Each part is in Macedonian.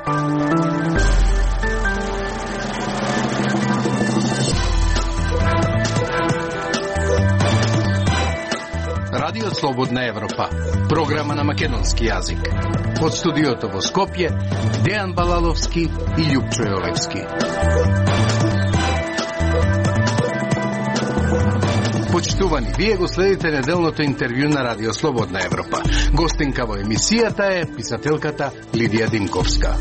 Радио Слободна Европа, програма на македонски јазик. Од студиото во Скопје, Дејан Балаловски и Љупчо Јолевски. Почитувани, вие го следите неделното интервју на Радио Слободна Европа. Гостинка во емисијата е писателката Лидија Димковска.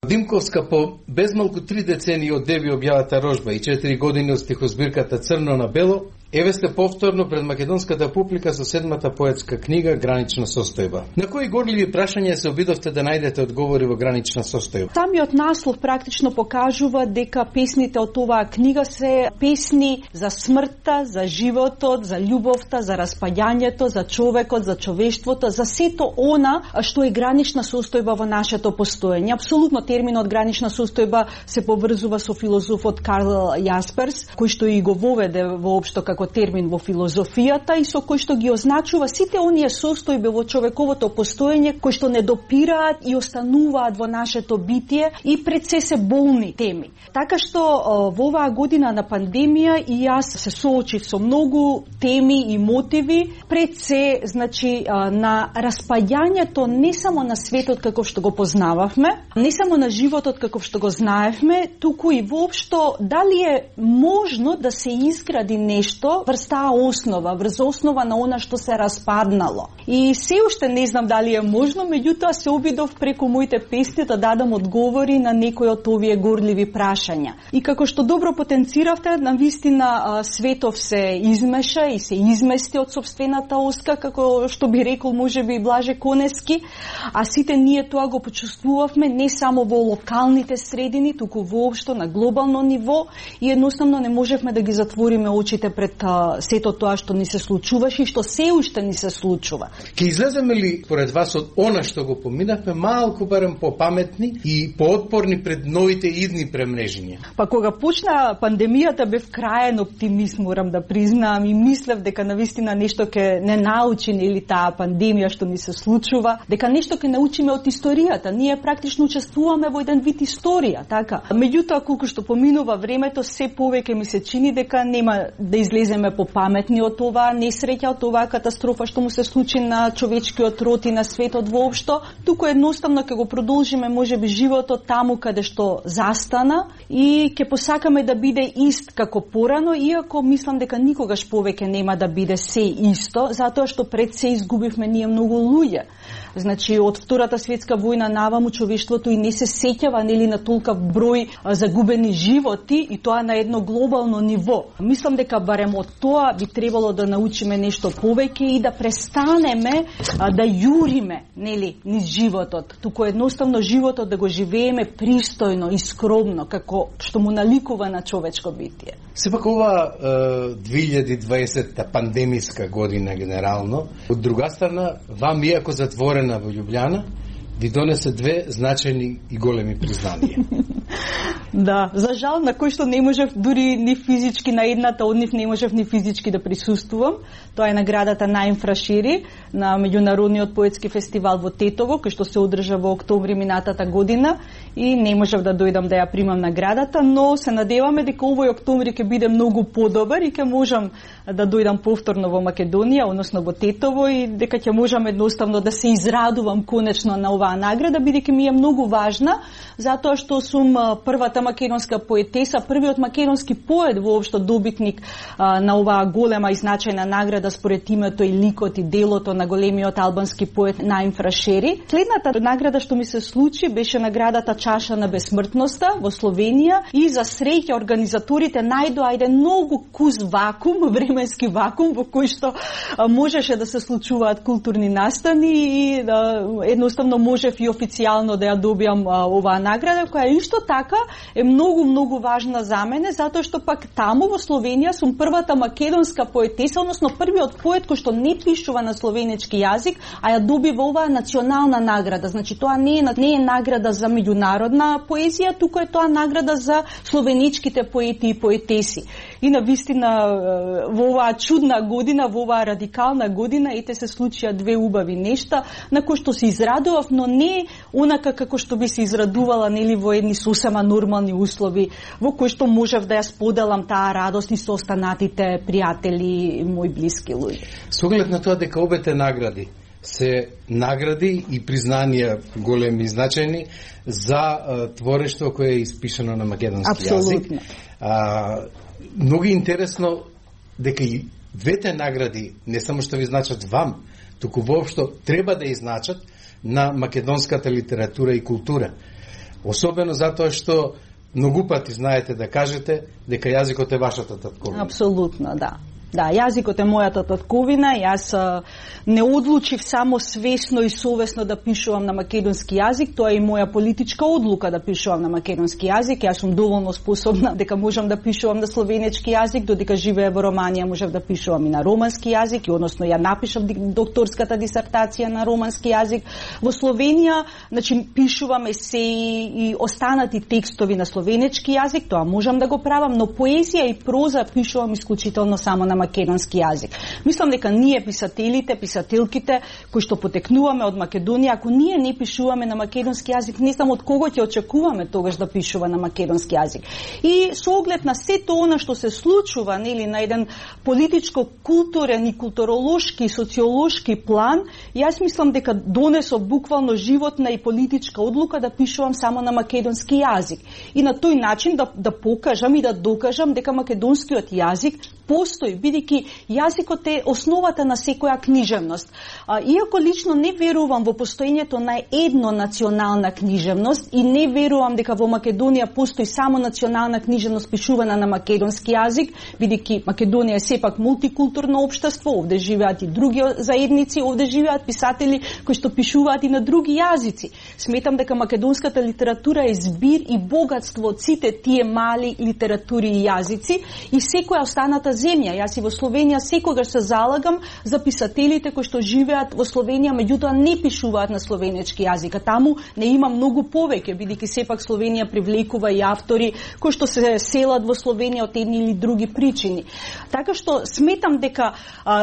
Димковска, по безмалку 3 децении од деби објавата рожба и 4 години од стихозбирката Црно на бело, еве сте повторно пред македонската публика со 7-та поетска книга Гранична состојба. На кои горливи прашања се обидовте да најдете одговори во Гранична состојба? Самиот наслов практично покажува дека песните од оваа книга се песни за смртта, за животот, за љубовта, за распаѓањето, за човекот, за човештвото, за сето она што е гранична состојба во нашето постоење. Апсолутно терминот гранична состојба се поврзува со филозофот Карл Јасперс, кој што и го воведе воопшто како термин во филозофијата и со кој што ги означува сите оние состојби во човековото постоење кои што не допираат и остануваат во нашето битие и пред се болни теми. Така што во оваа година на пандемија и јас се соочив со многу теми и мотиви, пред се, значи, на распаѓањето не само на светот каков што го познававме, не само на животот каков што го знаевме, туку и воопшто дали е можно да се изгради нешто врз таа основа, врз основа на она што се распаднало. И се уште не знам дали е можно, меѓутоа се обидов преку моите песни да дадам одговори на некои од овие горливи прашања. И како што добро потенциравте, навистина светов се измеша и се измести од сопствената оска, како што би рекол можеби Блаже Конески, а сите ние тоа го почувствувавме не само во локалните средини, туку воопшто на глобално ниво и едноставно не можевме да ги затвориме очите пред сето тоа што ни се случуваше и што се уште ни се случува. Ке излеземе ли поред вас од она што го поминавме малку барем попаметни и поотпорни пред новите идни премрежиња? Па кога почна пандемијата бев краен оптимист, морам да признаам, и мислев дека навистина нешто ке не научи или таа пандемија што ни се случува, дека нешто ке научиме од историјата. Ние практично учествуваме во еден вид историја, така. Меѓутоа колку што поминува времето, се повеќе ми се чини дека нема да излеземе попаметни од оваа несреќа, од оваа катастрофа што му се случи на човечкиот род и на светот воопшто, туку едноставно ќе го продолжиме можеби животот таму каде што застана и ќе посакаме да биде ист како порано, иако мислам дека никогаш повеќе нема да биде се исто, затоа што пред се изгубивме ние многу луѓе. Значи, од Втората светска војна наваму човештвото и не се сеќава нели на толков број загубени животи и тоа на едно глобално ниво. Мислам дека барем од тоа би требало да научиме нешто повеќе и да престанеме да јуриме нели низ животот, туку едноставно животот да го живееме пристојно и скромно како што му наликува на човечко битие. Сепак ова 2020 пандемиска година генерално, од друга страна, вам иако затворена во Љубљана, ви донесе две значајни и големи признанија. Да, за жал на кој што не можев дури ни физички на едната од нив не можев ни физички да присуствувам. Тоа е наградата Наим Фрашири на меѓународниот поетски фестивал во Тетово, кој што се одржа во октомври минатата година и не можев да дојдам да ја примам наградата, но се надеваме дека овој октомври ќе биде многу подобар и ќе можам да дојдам повторно во Македонија, односно во Тетово и дека ќе можам едноставно да се израдувам конечно на оваа награда, бидејќи ми е многу важна, затоа што сум првата македонска поетеса, првиот македонски поет воопшто добитник на оваа голема и значајна награда според името и ликот и делото на големиот албански поет Наим Фрашири. Следната награда што ми се случи беше наградата Чаша на бесмртноста во Словенија и за среќа организаторите најдоа еден многу кус вакуум, временски вакуум во кој што можеше да се случуваат културни настани и едноставно можев и официјално да ја добијам оваа награда, која исто така е многу важна за мене, затоа што пак таму во Словенија сум првата македонска поетеса, односно првиот поет кој што не пишува на словенечки јазик, а ја добива оваа национална награда. Значи тоа не е награда за меѓународна поезија, туку е тоа награда за словеничките поети и поетеси. И на вистина во оваа чудна година, во оваа радикална година, ете се случија две убави нешта на кои што се израдував, но не онака како што би се израдувала нели во едни сосема нормални услови, во кои што можев да ја споделам таа радост и со останатите пријатели и мои блиски луѓе. Со оглед на тоа дека обете награди се награди и признанија големи и значајни за творештво кое е испишано на македонски јазик. Многу интересно дека и двете награди не само што ви значат вам, туку воопшто треба да изначат на македонската литература и култура. Особено затоа што многу пати знаете да кажете дека јазикот е вашата татковина. Апсолутно, да. Да, јазикот е мојата татковина, јас не одлучив само свесно и совесно да пишувам на македонски јазик, тоа е и моја политичка одлука да пишувам на македонски јазик. Јас сум доволно способна дека можам да пишувам на словенечки јазик, додека живея во Романија можев да пишувам и на романски јазик, и односно ја напишав докторската дисертација на романски јазик. Во Словенија, значи, пишувам есеи и останати текстови на словенечки јазик, тоа можам да го правам, но поезија и проза пишувам исклучително само на македонски јазик. Мислам дека ние писателите, писателките кои што потекнуваме од Македонија, ако ние не пишуваме на македонски јазик, не знам од кого ќе очекуваме тогаш да пишува на македонски јазик. И со оглед на сето она што се случува, нели, на еден политичко, културен и културолошки, социолошки план, јас мислам дека донесов буквално животна и политичка одлука да пишувам само на македонски јазик. И на тој начин да покажам и да докажам дека македонскиот јазик постои, бидејќи јазикот е основата на секоја книжевност. Иако лично не верувам во постоењето на едно национална книжевност и не верувам дека во Македонија постои само национална книжевност пишувана на македонски јазик, бидејќи Македонија е сепак мултикултурно општество, овде живеат и други заедници, овде живеат писатели кои што пишуваат и на други јазици. Сметам дека македонската литература е збир и богатство од сите тие мали литератури и јазици и секоја останата земја. Јас и во Словенија секогаш се залагам за писателите кои што живеат во Словенија, меѓутоа не пишуваат на словенечки јазик, а таму не има многу повеќе, бидејќи сепак Словенија привлекува и автори кои што се селат во Словенија од едни или други причини. Така што сметам дека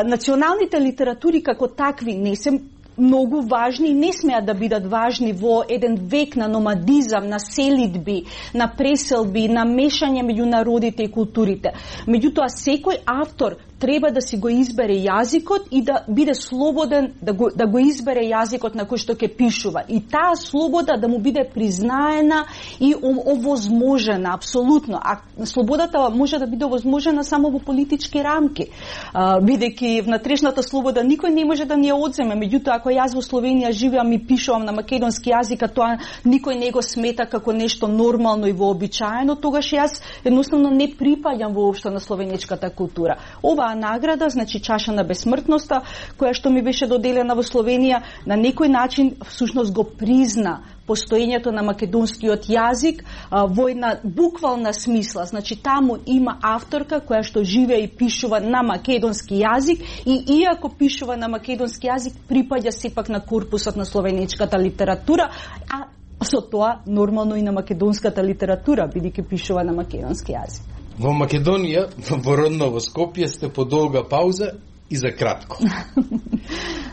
националните литератури како такви не се многу важни и не смеат да бидат важни во еден век на номадизам, на селидби, на преселби, на мешање меѓу народите и културите. Меѓутоа, секој автор треба да си го избере јазикот и да биде слободен да го избере јазикот на кој што ќе пишува. И таа слобода да му биде признаена и овозможена, апсолутно. А слободата може да биде овозможена само во политички рамки. Бидејќи внатрешната слобода никој не може да ни ја одземе. Меѓутоа, ако јас во Словенија живеам и пишувам на македонски јазик, а тоа никој не го смета како нешто нормално и вообичаено, тогаш јас едноставно не припаѓам воопшто на словенечката култура. Оваа награда, значи чаша на бесмртноста, која што ми беше доделена во Словенија, на некој начин всушност го призна постоењето на македонскиот јазик во една буквална смисла. Значи таму има авторка која што живее и пишува на македонски јазик и иако пишува на македонски јазик, припаѓа сепак на корпусот на словенечката литература, а со тоа нормално и на македонската литература, бидејќи пишува на македонски јазик. Во Македонија, во родново Скопје, сте по долга пауза и за кратко.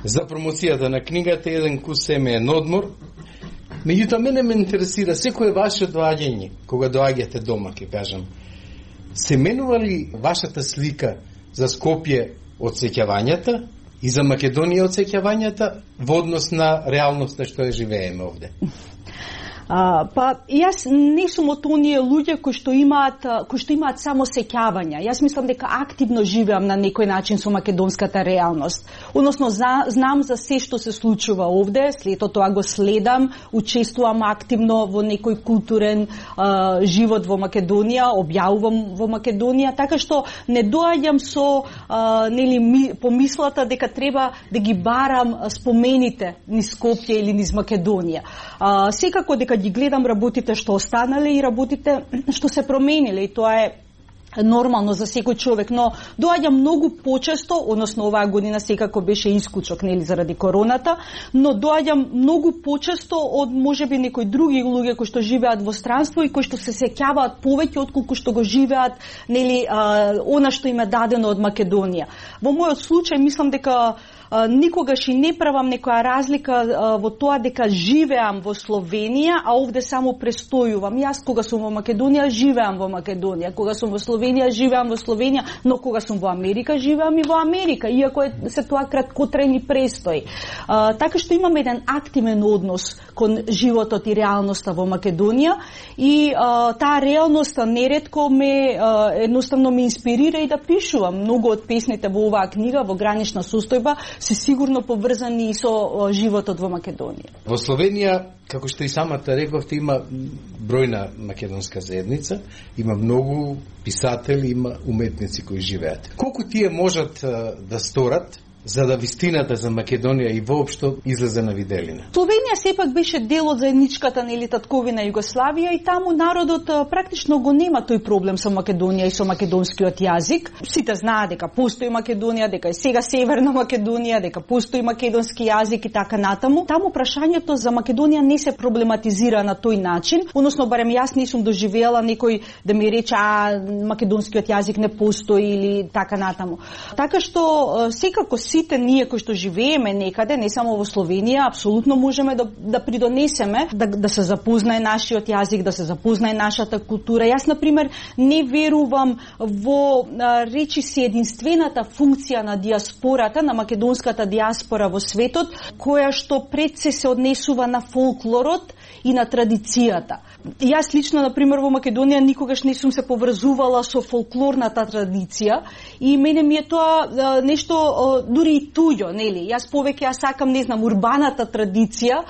За промоцијата на книгата еден кус семеен одмор. Меѓутоа, мене ме интересира секое ваше доаѓање, кога доаѓате дома, ќе кажам. Се менува ли вашата слика за Скопје од сеќавањата и за Македонија од сеќавањата во однос на реалноста што ја живееме овде? Па јас не сум од оние луѓе кои што имаат само сеќавања. Јас мислам дека активно живеам на некој начин со македонската реалност. Односно знам за се што се случува овде, след тоа го следам, учествувам активно во некој културен живот во Македонија, објавувам во Македонија, така што не доаѓам со помислата дека треба да ги барам спомените низ Скопје или низ Македонија. Секако дека ги гледам работите што останале и работите што се промениле, и тоа е нормално за секој човек, но доаѓа многу почесто, односно оваа година секако беше исклучок, нели, заради короната, но доаѓа многу почесто од можеби некои други луѓе кои што живеат во странство и кои што се сеќаваат повеќе отколку што го живеат, нели, она што им е дадено од Македонија. Во мојот случај мислам дека никогаш и не правам некоја разлика во тоа дека живеам во Словенија, а овде само престојувам. Јас кога сум во Македонија, живеам во Македонија, кога сум во Словенија, живеам во Словенија, но кога сум во Америка, живеам и во Америка, иако се тоа краткотрајни престои. Така што имам еден активен однос кон животот и реалноста во Македонија и таа реалноста неретко едноставно ме инспирира и да пишувам. Многу од песните во оваа книга, во Гранична состојба, се сигурно поврзани и со животот во Македонија. Во Словенија, како што и самата рековте, има бројна македонска заедница, има многу писатели, има уметници кои живеат. Колку тие можат да сторат за да вистината за Македонија и воопшто излезе на виделина? Словенија сепак беше дел од заедничката, нели, татковина Југославија и таму народот практично го нема тој проблем со Македонија и со македонскиот јазик. Сите знаат дека постои Македонија, дека е сега Северна Македонија, дека постои македонски јазик и така натаму. Таму прашањето за Македонија не се проблематизира на тој начин, односно барем јас не сум доживеала некој да ми рече македонскиот јазик не постои или така натаму. Така што секако сите ние кои што живееме некаде, не само во Словенија, апсолутно можеме да придонесеме, да се запознае нашиот јазик, да се запознае нашата култура. Јас, например, не верувам во речиси единствената функција на диаспората, на македонската диаспора во светот, која што пред се однесува на фолклорот и на традицијата. Јас лично, например, во Македонија никогаш не сум се поврзувала со фолклорната традиција и мене ми е тоа нешто дури и туѓо, нели? Јас повеќе ја сакам, не знам, урбаната традиција,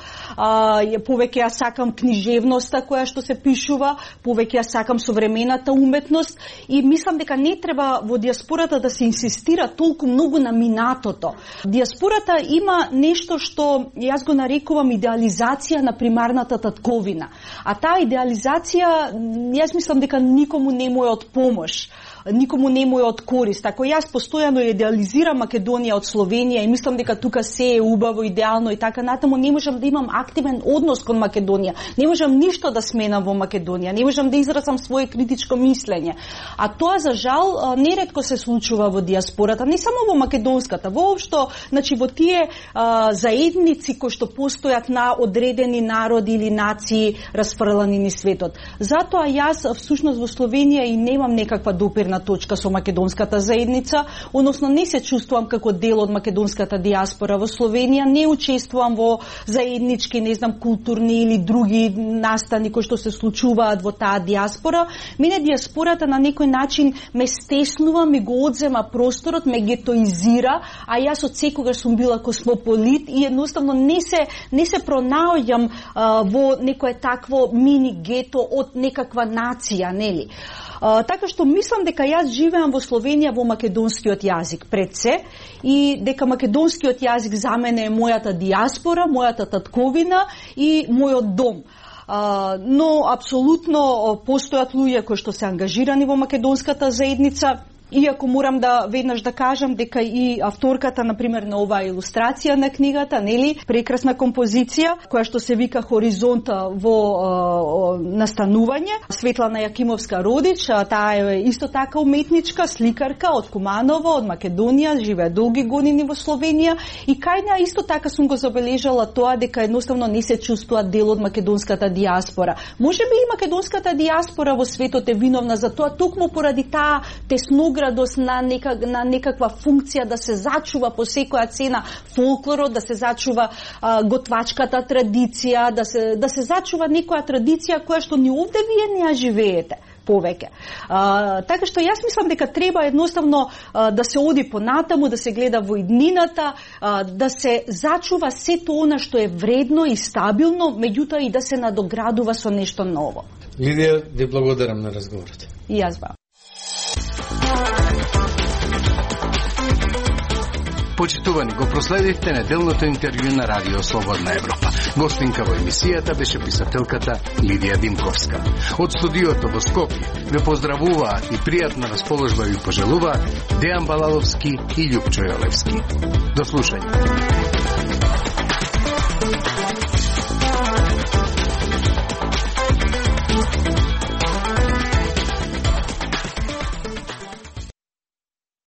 повеќе ја сакам книжевноста која што се пишува, повеќе ја сакам современата уметност и мислам дека не треба во диаспората да се инсистира толку многу на минатото. Диаспората има нешто што јас го нарекувам идеализација на примарната татковина. А таа идеализација, јас мислам дека никому не му е од помош, никому не му е од корист. Ако јас постојано идеализирам Македонија од Словенија и мислам дека тука се е убаво, идеално и така натаму, не можам да имам активен однос кон Македонија. Не можам ништо да сменам во Македонија, не можам да изразам свое критичко мислење. А тоа за жал неретко се случува во диаспората, не само во македонската, воопшто, значи во тие заедници кои што постојат на одредени народи или нации расфрлани низ светот. Затоа јас всушност во Словенија и немам некаква допирна точка со македонската заедница, односно не се чувствувам како дел од македонската диаспора во Словенија, не учествувам во заеднички, не знам, културни или други настани кои што се случуваат во таа диаспора. Мене диаспората на некој начин ме стеснува, ми го одзема просторот, ме гетоизира, а јас од секогаш сум била космополит и едноставно не се пронаоѓам во некое такво мини гето од некаква нација, нели? Така што мислам дека јас живеам во Словенија во македонскиот јазик пред се и дека македонскиот јазик за мене е мојата диаспора, мојата татковина и мојот дом. Но апсолутно постојат луѓе кои што се ангажирани во македонската заедница. Иако морам да веднаш да кажам дека и авторката, например, на оваа илустрација на книгата, нели, прекрасна композиција, која што се вика Хоризонт во настанување, Светлана Јакимовска Родич, таа е исто така уметничка, сликарка од Куманово, од Македонија, живее долги години во Словенија и кај неа исто така сум го забележала тоа дека едноставно не се чувствува дел од македонската диаспора. Можеби и македонската диаспора во светот е виновна за тоа, токму поради таа тесноградост на некаква функција да се зачува по секоја цена фолклорот, да се зачува готвачката традиција, да се зачува некоја традиција која што ни овде вие не ја живеете повеќе. Така што јас мислам дека треба едноставно да се оди понатаму, да се гледа во иднината, да се зачува сето она што е вредно и стабилно, меѓутоа и да се надоградува со нешто ново. Лидија, ви благодарам на разговорот. И јас вам. Почитувани, го проследивте неделното интервју на Радио Слободна Европа. Гостинка во емисијата беше писателката Лидија Димковска. Од студиото во Скопје ве поздравуваат и пријатна расположба ви пожелуваат Дејан Балаловски и Љупчо Јолевски. До слушање.